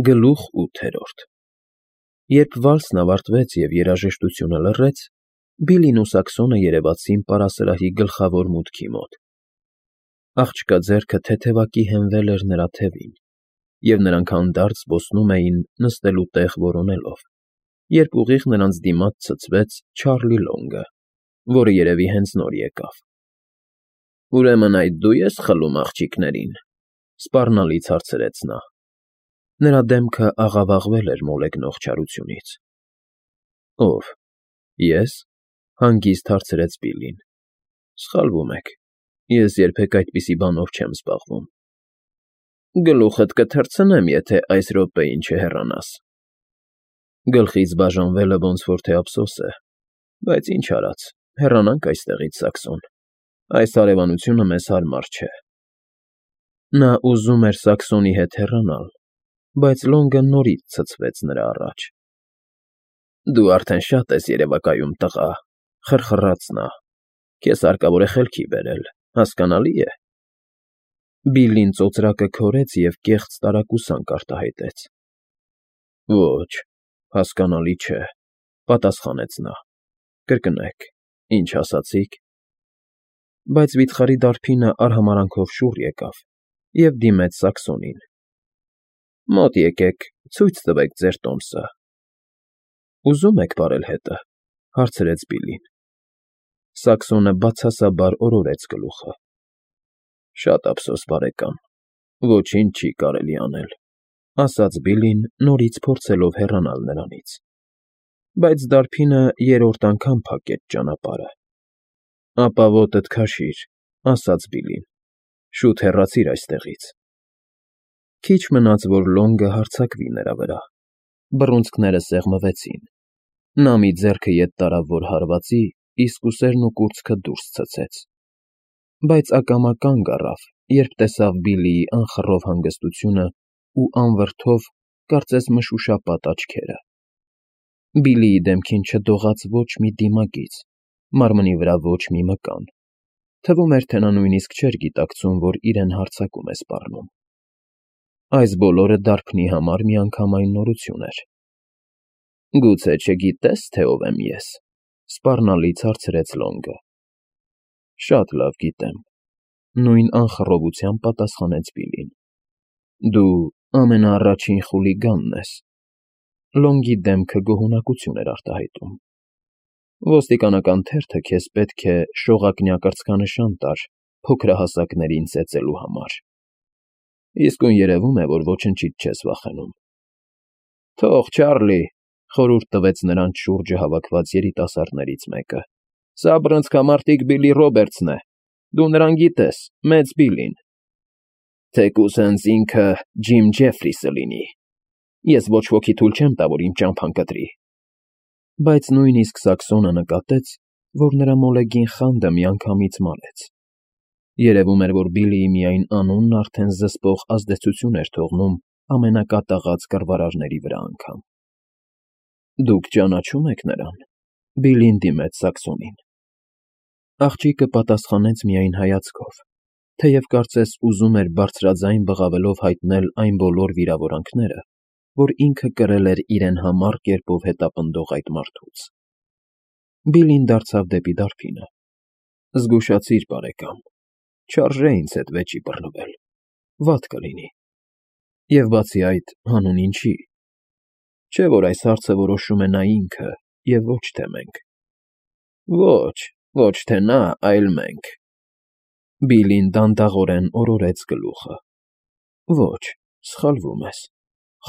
Գլուխ 8-րդ Երբ վալսն ավարտվեց և երաժշտությունը լռեց, Բիլին ու Սաքսոնը երևացին պարասրահի գլխավոր մուտքի մոտ։ Աղջկա ձեռքը թեթևակի հենվել էր նրա թևին, և նրանք հանդարտ զբոսնում էին նստելու տեղ որոնելով, երբ ուղիղ նրանց դիմաց ցցվեց Չարլի Լոնգը, որը երևի հենց նոր եկավ։ ֊ Ուրեմն այդ դու ես խլում աղջիկներին,֊ սպառնալից հարցրեց նա։ Նրա դեմքը աղավաղվել էր մոլեգնող չարությունից։ ֊ Ո՞վ, ես,֊ հանգիստ հարցրեց Բիլին։ ֊ Սխալվում եք, ես երբեք այդպիսի բանով չեմ զբաղվում։ ֊ Գլուխդ կթռցնեմ, եթե այս րոպեին չհեռանաս։ Գլխից բաժանվելը ոնց որ թե ափսոս է, բայց ինչ արած, հեռանանք այստեղից, Սաքսոն, այս հարևանությունը մեզ հարմար չէ։ Նա ուզում էր Սաքսոնի հետ հեռանալ, բայց Լոնգը նորից ցցվեց նրա առաջ։ ֊ Դու արդեն շատ ես երևակայում, տղա,֊ խրխռաց նա,֊ քեզ հարկավոր է խելքի բերել, հասկանալի է։ Բիլլին ծոծրակը քորեց և կեղծ տարակուսանք արտահայտեց։ ֊ Ոչ, հասկանալի չէ,֊ պատասխանեց նա։ ֊ Կրկնեք, ինչ ասացիք։ Բայց վիթխարի դարբինը արհամարհանքով շուռ եկավ և դիմեց Սաքսոնին։ ֊ Մոտ եկեք, ցույց տվեք ձեր տոմսը։ ֊ Ուզում եք պարել հետը,֊ հարցրեց Բիլին։ Սաքսոնը բացասաբար օրորեց գլուխը։ ֊ Շատ ափսոս, բարեկամ, ոչինչ չի կարելի անել,֊ ասաց Բիլին, նորից փորձելով հեռանալ նրանից։ Բայց դարբինը երրորդ անգամ փակեց ճանապարհը։ ֊ Ապա ոտդ քաշիր,֊ ասաց Բիլին,֊ շուտ հեռացիր այստեղից։ Քիչ մնաց, որ Լոնգը հարձակվի նրա վրա։ Բռունցքները սեղմվեցին։ Նա մի ձեռքը ետ տարավ, որ հարվածի, իսկ ուսերն ու կուրծքը դուրս ցցեց։ Բայց ակամա կանգ առավ, երբ տեսավ Բիլիի անխռով հանգստությունն ու անվրդով, կարծես մշուշապատ աչքերը։ Բիլիի դեմքին չդողաց ոչ մի դիմագիծ, մարմնի վրա ոչ մի մկան։ Թվում էր, թե նա նույնիսկ չէր գիտակցում, որ իրեն հարձակում է սպառնում։ Այս բոլորը դարբնի համար միանգամայն նորություն էր։ ֊ Գուցե չգիտե՞ս, թե ով եմ ես,֊ սպառնալից հարցրեց Լոնգը։ ֊ Շատ լավ գիտեմ,֊ նույն անխռովությամբ պատասխանեց Բիլին։ ֊ Դու ամենաառաջին խուլիգանն ես։ Լոնգի դեմքը գոհունակություն էր արտահայտում։ Ոստիկանական թերթը քեզ պետք է շողակնյա կրծքանշան տար փոքրահասակներին ծեծելու համար։ Իսկույն երևում է, որ ոչնչից չես վախենում։ ֊ Թող, Չարլի,֊ խորհուրդ տվեց նրանց շուրջը հավաքված երիտասարդներից մեկը,֊ սա բռնցքամարտիկ Բիլի Ռոբերտսն է։ Դու նրան գիտես, մեծ Բիլին։ ֊ Թեկուզ հենց ինքը Ջիմ Ջեֆրիսը լինի։ Ես ոչ ոքի թույլ չեմ տա, որ իմ ճամփան կտրի։ Բայց նույնիսկ Սաքսոնը նկատեց, որ նրա մոլեգին խանդը միանգամից մարեց։ Երևում էր, որ Բիլիի միայն անունն արդեն զսպող ազդեցություն էր թողնում ամենակատաղած կռվարարների վրա անգամ։ ֊ Դուք ճանաչո՞ւմ եք նրան,֊ Բիլին դիմեց Սաքսոնին։ Աղջիկը պատասխանեց միայն հայացքով, թեև կարծես ուզում էր բարձրաձայն բղավելով հայտնել այն բոլոր վիրավորանքները, որ ինքը կրել էր իրեն համառ կերպով հետապնդող այդ մարդուց։ Բիլին դարձավ դեպի դարբինը։ ֊ Զգուշացիր, բարեկամ, չարժե ինձ հետ վեճի բռնվել, վատ կլինի։ Եվ բացի այդ, հանուն ինչի։ Չէ՞ որ այս հարցը որոշում է նա ինքը, և ոչ թե մենք։ ֊ Ոչ թե նա, այլ մենք,֊ Բիլին դանդաղորեն օրորեց գլուխը։ ֊ Ոչ, սխալվում ես,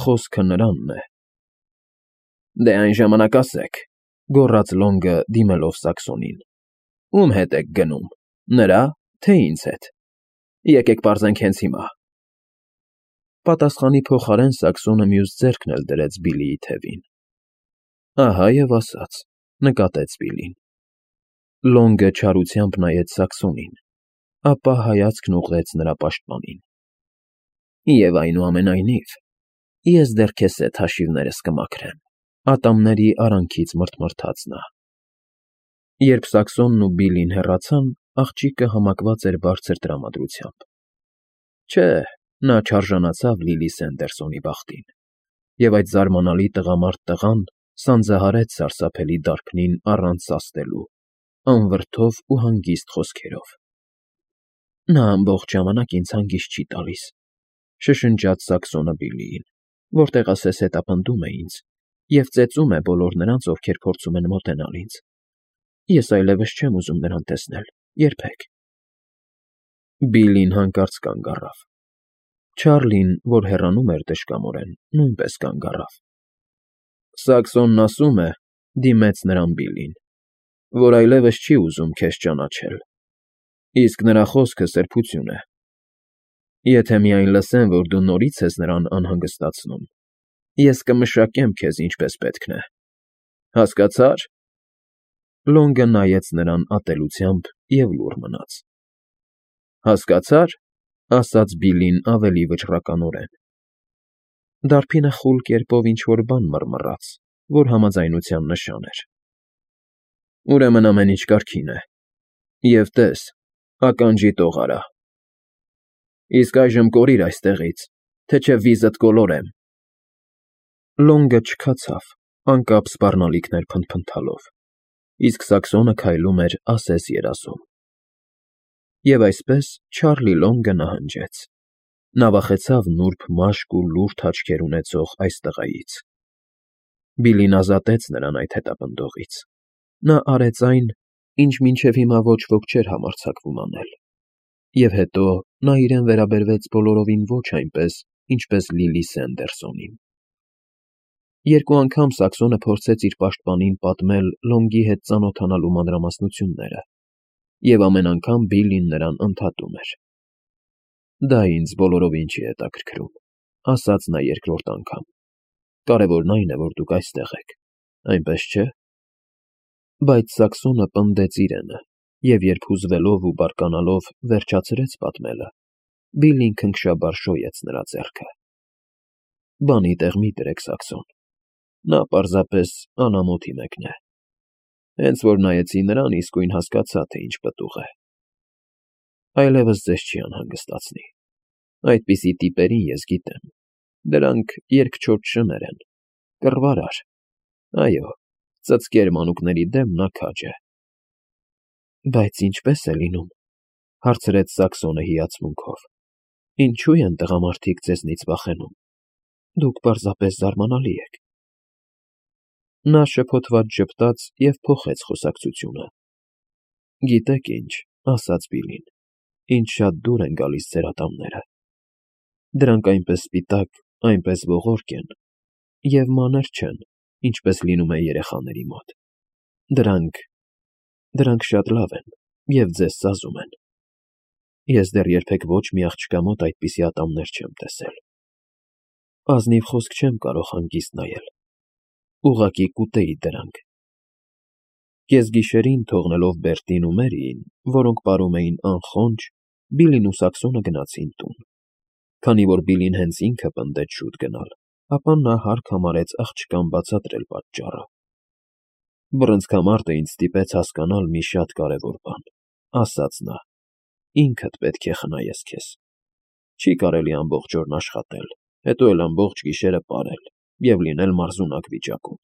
խոսքը նրանն է։ ֊ Դե այն ժամանակ ասեք,֊ գոռաց Լոնգը, դիմելով Սաքսոնին,֊ ում հետ եք գնում, նրա՞, թե ինձ հետ։ Եկեք պարզենք հենց հիմա։ Պատասխանի փոխարեն Սաքսոնը մյուս ձեռքն էլ դրեց Բիլիի թևին։ ֊ Ահա և ասաց,֊ նկատեց Բիլին։ Լոնգը չարությամբ նայեց Սաքսոնին, ապա հայացքն ուղղեց նրա պաշտպանին։ ֊ Եվ այնուամենայնիվ, ես դեռ քեզ հետ հաշիվներս կմաքրեմ,֊ ատամների արանքից մռթմռթաց նա։ Երբ Սաքսոնն ու Բիլին հեռացան, աղջիկը համակված էր բարձր տրամադրությամբ։ Չէ, նա չարժանացավ Լիլի Սենդերսոնի բախտին։ և այդ զարմանալի տղամարդ տղան սանձահարեց սարսափելի դարբնին առանց սաստելու, անվրդով ու հանգիստ խոսքերով։ Նա ամբողջ ժամանակ ինձ հանգիստ չի տալիս, շշնջաց Սաքսոնը Բիլլիին, որտեղ ասես հետապնդում է ինձ և ծեծում է բոլոր նրանց, ովքեր փորձում են մոտենալ ինձ։ Ես այլևս չեմ ուզում նրան տեսնել, երբեք։ Բիլլին հանկարծ կանգ առավ։ Չարլին, որ հեռանում էր տշկամորեն, նույնպես կանգ առավ։ Սաքսոնն ասում է, դիմեց նրան Բիլլին, որ այլևս չի ուզում քեզ ճանաչել, իսկ նրա խոսքը սրբություն է։ Եթե միայն լսեմ, որ դու նորից ես նրան անհանգստացնում, ես կմշակեմ քեզ ինչպես պետք է։ Հասկացա՞ր։ Լոնգը նայեց նրան ատելությամբ և լուռ մնաց։ Հասկացա՞ր, ասաց Բիլլին ավելի վճռականորեն։ Դարբինը խուլ կերպով ինչ֊որ բան մռմռաց, որ համաձայնության նշան էր։ Ուրեմն ամեն ինչ կարգին է։ Եվ տես, ականջի տող արա։ Իսկ այժմ կորիր այստեղից, թե չէ վիզդ կոլորեմ։ Լոնգը չքացավ, անկապ սպառնալիքներ փնթփնթալով, իսկ Սաքսոնը քայլում էր ասես երազում։ Եվ այսպես Չարլի Լոնգը նահանջեց։ Նա վախեցավ նուրբ մաշկ ու լուրջ աչքեր ունեցող այս տղայից։ Բիլլին ազատեց նրան այդ հետապնդողից։ Նա արեց այն, ինչ մինչև հիմա ոչ ոք չէր համարձակվում անել։ Եվ հետո նա իրեն վերաբերվեց բոլորովին ոչ այնպես, ինչպես Լիլի Սենդերսոնին։ Երկու անգամ Սաքսոնը փորձեց իր պաշտպանին պատմել Լոնգի հետ ծանոթանալու մանրամասնությունները, և ամեն անգամ Բիլլին նրան ընդհատում էր։ Դա ինձ բոլորովին չի հետաքրքրում, ասաց նա երկրորդ անգամ։ Կարևորն այն է, որ դուք այստեղ եք, այնպես չէ։ Բայց Սաքսոնը պնդեց իրենը, և երբ հուզվելով ու բարկանալով վերջացրեց պատմելը, Բիլլին քնքշաբար շոյեց նրա ձեռքը։ Բանի տեղ մի դրեք, Սաքսոն, նա պարզապես անամոթի մեկն է։ Հենց որ նայեցի նրան, իսկույն հասկացա, թե ինչ պտուղ է։ Այլևս ձեզ չի անհանգստացնի։ Այդպիսի տիպերին ես գիտեմ։ Դրանք երկչոտ շներ են, կռվարար։ Այո, ծծկեր մանուկների դեմ նա քաջ է։ Բայց ինչպե՞ս է լինում, հարցրեց Սաքսոնը հիացմունքով։ Ինչու են տղամարդիկ ձեզնից վախենում։ Դուք պարզապես զարմանալի եք։ Նա շփոթված ժպտաց և փոխեց խոսակցությունը։ Գիտեք ինչ, ասաց Բիլլին, ինչ շատ դուր են գալիս ձեր ատամները։ Դրանք այնպես սպիտակ, այնպես ողորկ են, և մանր չեն, ինչպես լինում է երեխաների մոտ։ Դրանք շատ լավ են և ձեզ սազում են։ Ես դեռ երբեք ոչ մի աղջկա մոտ այդպիսի ատամներ չեմ տեսել։ Ազնիվ խոսք չեմ կարող հանգիստ նայել։ Ուղղակի կուտեի դրանք։ Կեսգիշերին թողնելով Բերտին ու Մերիին, որոնք պարում էին անխոնջ, Բիլլին ու Սաքսոնը գնացին տուն։ Քանի որ Բիլլին հենց ինքը պնդեց շուտ գնալ, ապա նա հարկ համարեց աղջկան բացատրել պատճառը։ Բռնցքամարտը ինձ ստիպեց հասկանալ մի շատ կարևոր բան, ասաց նա. ինքդ պետք է խնայես քեզ։ Չի կարելի ամբողջ օրն աշխատել, հետո էլ ամբողջ գիշերը պարել և լինել մարզունակ վիճակում։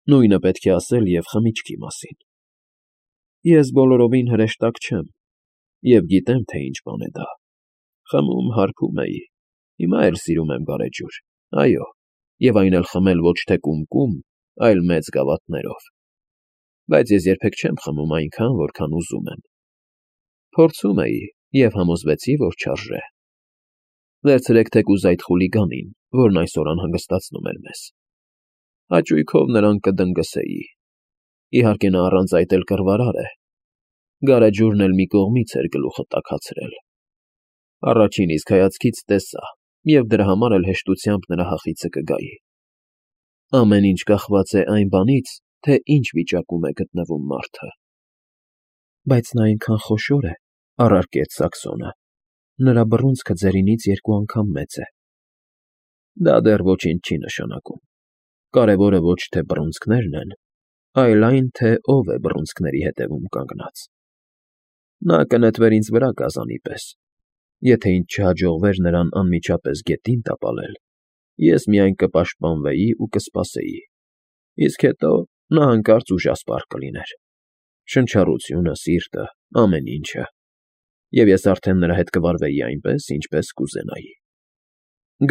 Նույնը պետք է ասել և խմիչքի մասին։ Ես բոլորովին հրեշտակ չեմ և գիտեմ, թե ինչ բան է դա։ Խմում, հարբում էի, հիմա էլ սիրում եմ գարեջուր, այո, և այն էլ խմել ոչ թե կում, այլ մեծ գավաթներով։ Բայց ես երբեք չեմ խմում այնքան, որքան ուզում եմ։ Փորձում էի և համոզվեցի, որ չարժե։ Վերցրեք թեկուզ այդ խուլիգանին, որն այսօր անհանգստացնում էր մեզ։ Հաճույքով նրան կդնգսեի։ Իհարկե նա առանց այդ էլ կռվարար է։ Գարեջուրն էլ մի կողմից էր գլուխը տաքացրել։ Առաջին իսկ հայացքից տեսա, և դրա համար էլ հեշտությամբ նրա հախիցը կգայի։ Ամեն ինչ կախված է այն բանից, թե ինչ վիճակում է գտնվում մարդը։ Բայց նա այնքան խոշոր է, առարկեց Սաքսոնը։ Նրա բռունցքը ձերինից 2 անգամ մեծ է։ Դա դեռ ոչինչ չի նշանակում։ Կարևորը ոչ թե բռունցքներն են, այլ այն, թե ով է բռունցքների հետևում կանգնած։ Նա կնետվեր ինձ վրա գազանի պես։ Եթե ինձ չհաջողվեր նրան անմիջապես գետին տապալել, Ես միայն կպաշտպանվեի ու կսպասեի, իսկ հետո նա հանկարծ ուժասպառ կլիներ. շնչառությունը, սիրտը, ամեն ինչը, և ես արդեն նրա հետ կվարվեի այնպես, ինչպես կուզենայի։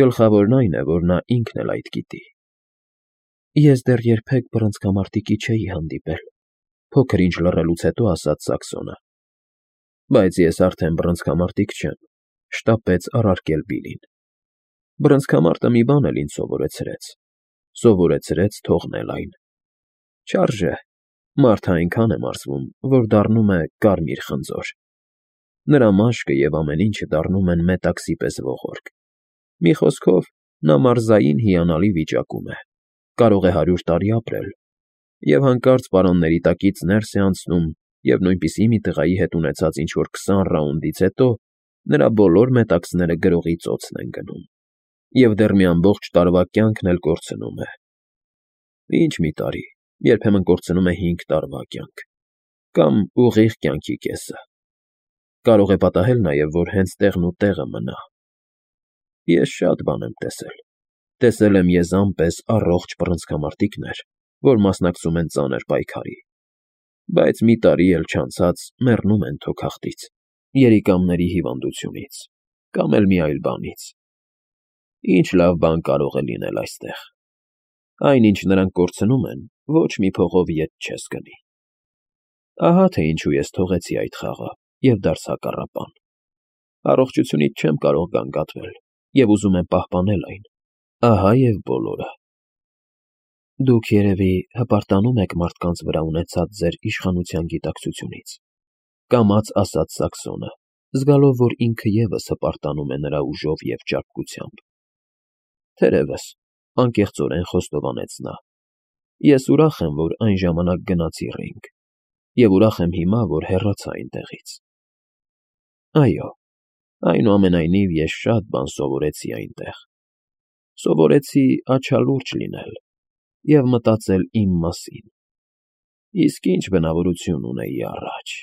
Գլխավորն այն է, որ նա ինքն էլ այդ գիտի։ Ես դեռ երբեք բռնցքամարտիկի չէի հանդիպել, փոքր ինչ լռելուց հետո ասաց Սաքսոնը։ Բայց ես արդեն բռնցքամարտիկ չեմ, շտապեց առարկել Բիլին։ Բռնցքամարտը մի բան էլ ինձ սովորեցրեց թողնել այն։ Չարժե, մարդը այնքան է մարզվում, որ դառնում է կարմիր խնձոր։ Նրա մաշկը և ամեն ինչը դառնում են մետաքսի պես ողորկ։ Մի խոսքով, նա մարզային հիանալի վիճակում է, կարող է 100 տարի ապրել, և հանկարծ պարանների տակից ներս է անցնում, և նույնպիսի մի տղայի հետ ունեցած ինչ֊որ 20 ռաունդից հետո նրա բոլոր մետաքսները գրողի ծոցն են գնում, և դեռ մի ամբողջ տարվա կյանքն էլ կորցնում է։ Ինչ մի տարի, երբեմն կորցնում է 5 տարվա կյանք, կամ ուղիղ կյանքի կեսը։ Կարող է պատահել նաև, որ հենց տեղն ու տեղը մնա։ Ես շատ բան եմ տեսել։ Տեսել եմ եզան պես առողջ բռնցքամարտիկներ, որ մասնակցում են ծանր պայքարի, բայց մի տարի էլ չանցած մեռնում են թոքախտից, երիկամների հիվանդությունից, կամ էլ մի այլ բանից։ Ինչ լավ բան կարող է լինել այստեղ։ Այն, ինչ նրանք կորցնում են, ոչ մի փողով ետ չես գնի։ Ահա թե ինչու ես թողեցի այդ խաղը և դարձա կառապան։ Առողջությունից չեմ կարող գանգատվել և ուզում եմ պահպանել այն։ Ահա և բոլորը։ Դուք երևի հպարտանում եք մարդկանց վրա ունեցած ձեր իշխանության գիտակցությունից, կամաց ասաց Սաքսոնը, զգալով, որ ինքը ևս հպարտանում է նրա ուժով և ճարպկությամբ։ Թերևս, անկեղծորեն խոստովանեց նա, ես ուրախ եմ, որ այն ժամանակ գնացի Ռինգ, և ուրախ եմ հիմա, որ հեռացա այնտեղից։ Այո, այնուամենայնիվ ես շատ բան սովորեցի այնտեղ։ Սովորեցի աչալուրջ լինել և մտածել իմ մասին։ Իսկ ինչ բնավորություն ունեի առաջ,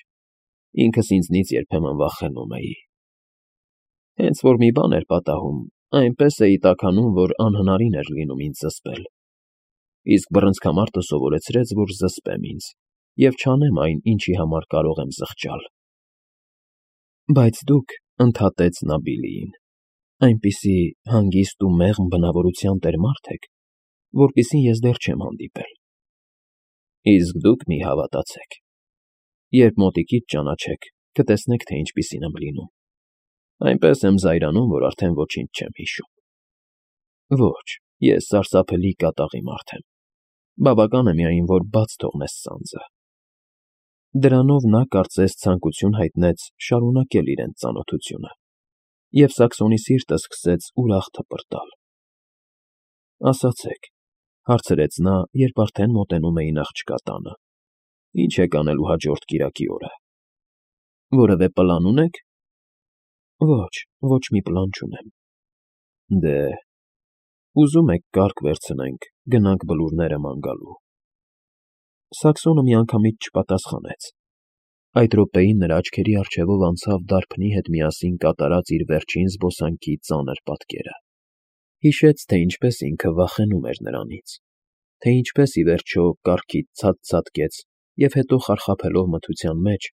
ինքս ինձնից երբեմն վախենում էի։ Հենց որ մի բան էր պատահում, այնպես էի տաքանում, որ անհնարին էր լինում ինձ զսպել, իսկ բռնցքամարտը սովորեցրեց, որ զսպեմ ինձ և չանեմ այն, ինչի համար կարող եմ զղջալ։ Բայց դուք, ընդհատեց նա Բիլիին, այնպիսի հանգիստ ու մեղմ բնավորության տեր մարդ եք, որպիսին ես դեռ չեմ հանդիպել։ Իսկ դուք մի հավատացեք. երբ մոտիկից ճանաչեք, կտեսնեք, թե ինչպիսին եմ լինում։ Այնպես եմ զայրանում, որ արդեն ոչինչ չեմ հիշում։ Ոչ, ես սարսափելի կատաղի մարդ եմ։ Բավական է միայն, որ բաց թողնես սանձը։ Դրանով նա կարծես ցանկություն հայտնեց շարունակել իրենց ծանոթությունը, և Սաքսոնի սիրտը սկսեց ուրախ թպրտալ։ Ասացեք, հարցրեց նա, երբ արդեն մոտենում էին աղջկա տանը. Ինչ եք անելու հաջորդ կիրակի օրը։ Որևէ պլան ունեք։ Ոչ մի պլան չունեմ։ Դե, ուզում եք կարգ վերցնենք, գնանք բլուրները ման գալու։ Սաքսոնը միանգամից չպատասխանեց։ Այդ րոպեին նրա աչքերի առջևով անցավ դարբնի հետ միասին կատարած իր վերջին զբոսանքի ծանր պատկերը։ Հիշեց, թե ինչպես ինքը վախենում էր նրանից, թե ինչպես ի վերջո կառքից ցած-ցատկեց և հետո խարխափելով մթության մեջ,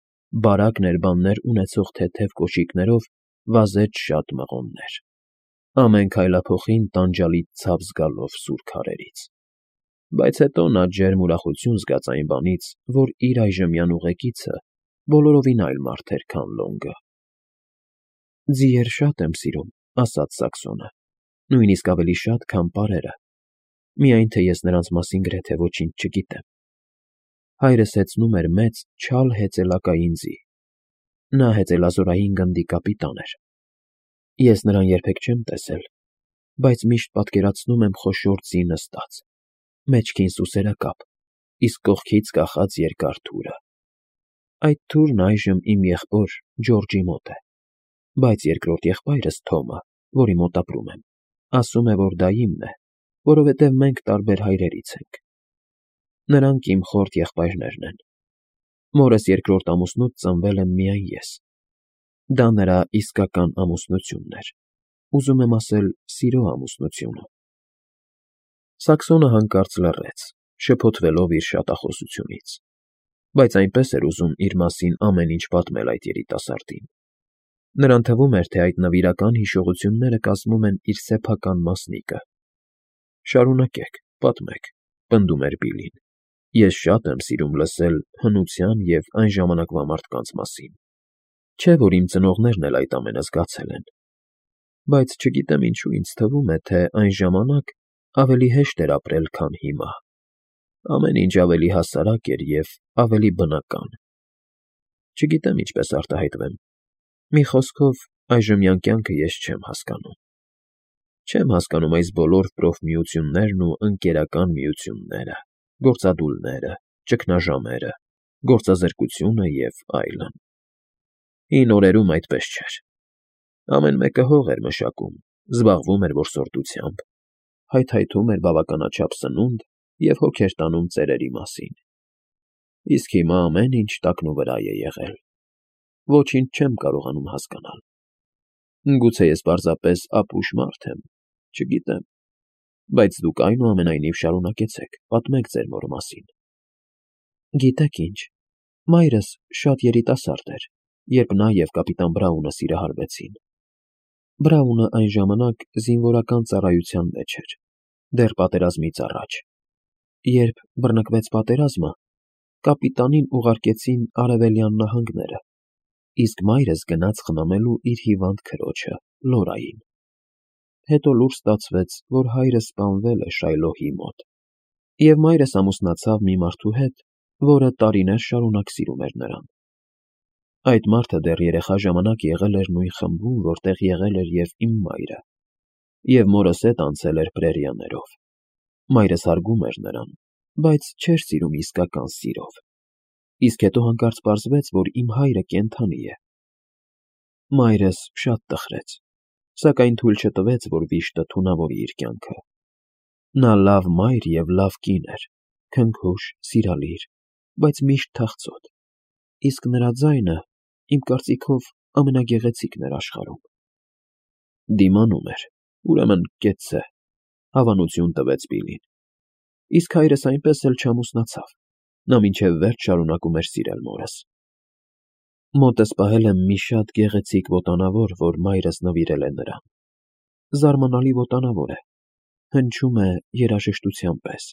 բարակ ներբաններ ունեցող թեթև կոշիկներով վազեց շատ մղոններ, ամեն քայլափոխին տանջալից ցավ զգալով սուր քարերից։ Բայց հետո նա ջերմ ուրախություն զգաց այն բանից, որ իր այժմյան ուղեկիցը բոլորովին այլ մարդ էր, քան Լոնգը։ Ձիեր շատ եմ սիրում, ասաց Սաքսոնը, նույնիսկ ավելի շատ, քան պարերը, միայն թե ես նրանց մասին գրեթե ոչինչ չգիտեմ։ Հայրս հեծնում էր մեծ, չալ հեծելակային ձի։ Նա հեծելազորային գնդի կապիտան էր։ Ես նրան երբեք չեմ տեսել, բայց միշտ պատկերացնում եմ խոշոր ձի նստած, մեջքին սուսերակապ, իսկ կողքից կախած երկար թուրը։ Այդ թուրն այժմ իմ եղբոր Ջորջի մոտ է, բայց երկրորդ եղբայրս Թոմը, որի մոտ ապրում եմ, ասում է, որ դա իմն է, որովհետև մենք տարբեր հայրերից ենք։ Նրանք իմ խորթ եղբայրներն են։ Մորս երկրորդ ամուսնուց ծնվել եմ միայն ես։ Դա նրա իսկական ամուսնությունն էր, ուզում եմ ասել, սիրո ամուսնությունը։ Սաքսոնը հանկարծ լռեց, շփոթվելով իր շատախոսությունից, բայց այնպես էր ուզում իր մասին ամեն ինչ պատմել այդ երիտասարդին։ Նրան թվում էր, թե այդ նվիրական հիշողությունները կազմում են իր սեփական մասնիկը։ Շարունակեք, պատմեք, պնդում էր Բիլին։ Ես շատ եմ սիրում լսել հնության և այն ժամանակվա մարդկանց մասին։ Չէ՞ որ իմ ծնողներն էլ այդ ամենը զգացել են։ Բայց չգիտեմ ինչու ինձ թվում է, թե այն ժամանակ ավելի հեշտ էր ապրել, քան հիմա։ Ամեն ինչ ավելի հասարակ էր և ավելի բնական։ Չգիտեմ ինչպես արտահայտվեմ։ Մի խոսքով, այժմյան կյանքը ես չեմ հասկանում։ Չեմ հասկանում այս բոլոր պրոֆմիություններն ու ընկերական միությունները, գործադուլները, ճգնաժամերը, գործազրկությունը և այլն։ Հին օրերում այդպես չէր։ Ամեն մեկը հող էր մշակում, զբաղվում էր որսորդությամբ, հայթայթում էր բավականաչափ սնունդ և հոգ էր տանում ծերերի մասին։ Իսկ հիմա ամեն ինչ տակնուվրա է եղել։ Ոչինչ չեմ կարողանում հասկանալ։ Գուցե ես պարզապես ապուշ մարդ եմ, չգիտեմ, բայց դուք այնուամենայնիվ շարունակեցեք, պատմեք ձեր մոր մասին։ Գիտեք ինչ, մայրս շատ երիտասարդ էր, երբ նա և կապիտան Բրաունը սիրահարվեցին։ Բրաունը այն ժամանակ զինվորական ծառայության մեջ էր, դեռ պատերազմից առաջ։ Երբ բռնկվեց պատերազմը, կապիտանին ուղարկեցին Արևելյան նահանգները, իսկ մայրս գնաց խնամելու իր հիվանդ քրոջը՝ Լորային։ Հետո լուր ստացվեց, որ հայրս սպանվել է Շայլոհի մոտ, և մայրս ամուսնացավ մի մարդու հետ, որը տարիներ շարունակ սիրում էր նրան։ Այդ մարդը դեռ երեխա ժամանակ եղել էր նույն խմբում, որտեղ եղել էր և իմ մայրը, և մորս հետ անցել էր պրերիաներով։ Մայրս հարգում էր նրան, բայց չէր սիրում իսկական սիրով։ Իսկ հետո հանկարծ պարզվեց, որ իմ հայրը կենդանի է։ Մայրս շատ տխրեց, սակայն թույլ չտվեց, որ վիշտը թունավորի իր կյանքը։ Նա լավ մայր և լավ կին էր, քնքուշ, սիրալիր, բայց միշտ թախծոտ, իսկ նրա ձայնը, իմ կարծիքով, ամենագեղեցիկն էր աշխարհում։ Դիմանում էր, ուրեմն կեցցե, հավանություն տվեց Բիլին։ Իսկ հայրս այնպես էլ չամուսնացավ, նա մինչև վերջ շարունակում էր սիրել մորս։ Մոտս պահել եմ մի շատ գեղեցիկ ոտանավոր, որ մայրս նվիրել է նրան։ Զարմանալի ոտանավոր է, հնչում է երաժշտության պես։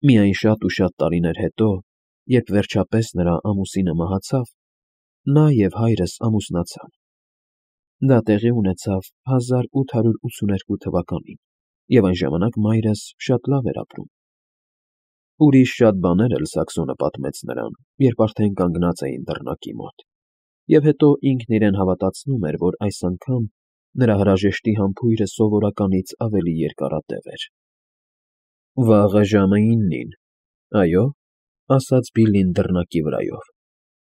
Միայն շատ ու շատ տարիներ հետո, երբ վերջապես նրա ամուսինը մահացավ, նա և հայրս ամուսնացան։ Դա տեղի ունեցավ 1882 թվականին, և այն ժամանակ մայրս շատ լավ էր ապրում։ Ուրիշ շատ բաներ էլ Սաքսոնը պատմեց նրան, երբ արդեն կանգնած էին դռնակի մոտ, և հետո ինքն իրեն հավատացնում էր, որ այս անգամ նրա հրաժեշտի համբույրը սովորականից ավելի երկարատև էր։ Վաղը ժամը 9-ին, այո, ասաց Բիլին դռնակի վրայով։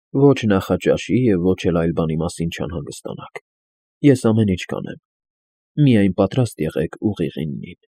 Ոչ նախաճաշի և ոչ էլ այլ բանի մասին չանհանգստանաք։ Ես ամեն ինչ կանեմ։ Միայն պատրաստ եղեք ուղիղ 9-ին։